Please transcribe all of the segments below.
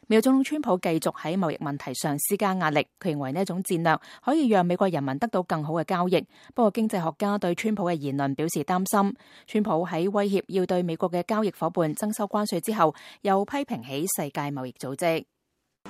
美國總統川普繼續喺貿易問題上施加壓力，佢認為呢一種戰略可以讓美國人民得到更好嘅交易。不過經濟學家對川普嘅言論表示擔心。川普喺威脅要對美國嘅交易夥伴徵收關稅之後，又批評起世界貿易組織。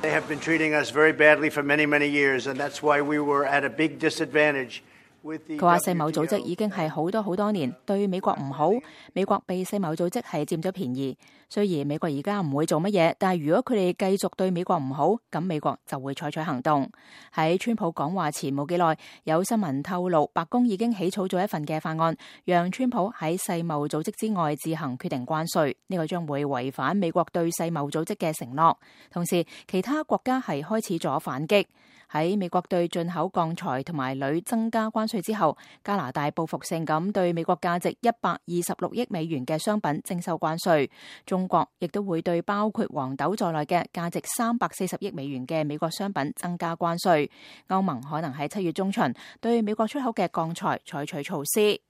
They have been treating us very badly for many, many years, and that's why we were at a big disadvantage. 佢話世貿組織已經係好多年對美國唔好，美國被世貿組織係佔咗便宜。雖然美國而家唔會做乜嘢，但係如果佢哋繼續對美國唔好，咁美國就會採取行動。喺川普講話前冇幾耐，有新聞透露白宮已經起草咗一份嘅法案，讓川普喺世貿組織之外自行決定關稅。呢個將會違反美國對世貿組織嘅承諾。同時，其他國家係開始咗反擊。喺美國對進口鋼材同埋鋁增加關稅之後，加拿大報復性咁對美國價值126億美元嘅商品徵收關稅。中國亦都會對包括黃豆在內嘅價值340億美元嘅美國商品增加關稅。歐盟可能喺7月中旬對美國出口嘅鋼材採取措施。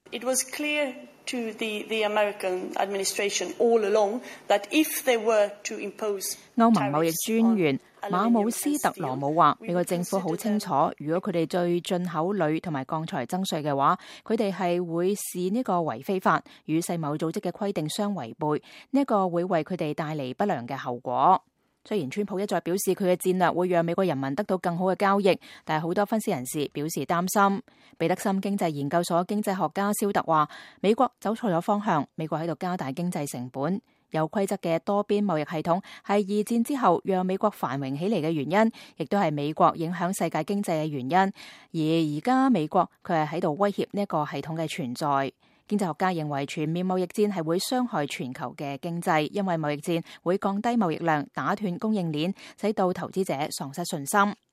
It was clear to the American administration all along that if they were to impose 歐盟貿易專員馬姆斯特羅姆話，美國政府好清楚，如果佢哋對進口鋁同埋鋼材徵稅嘅話，佢哋係會視呢個為非法，與世貿組織嘅規定相違背，呢個會為佢哋帶嚟不良嘅後果。雖然川普一再表示佢嘅戰略會讓美國人民得到更好嘅交易，但係好多分析人士表示擔心。彼得森經濟研究所經濟學家蕭特話，美國走錯咗方向，美國喺度加大經濟成本。有規則嘅多邊貿易系統係二戰之後讓美國繁榮起嚟嘅原因，亦都係美國影響世界經濟嘅原因。而家美國佢係喺度威脅呢一個系統嘅存在。經濟學家認為全面貿易戰係會傷害全球嘅經濟，因為貿易戰會降低貿易量，打斷供應鏈，使到投資者喪失信心。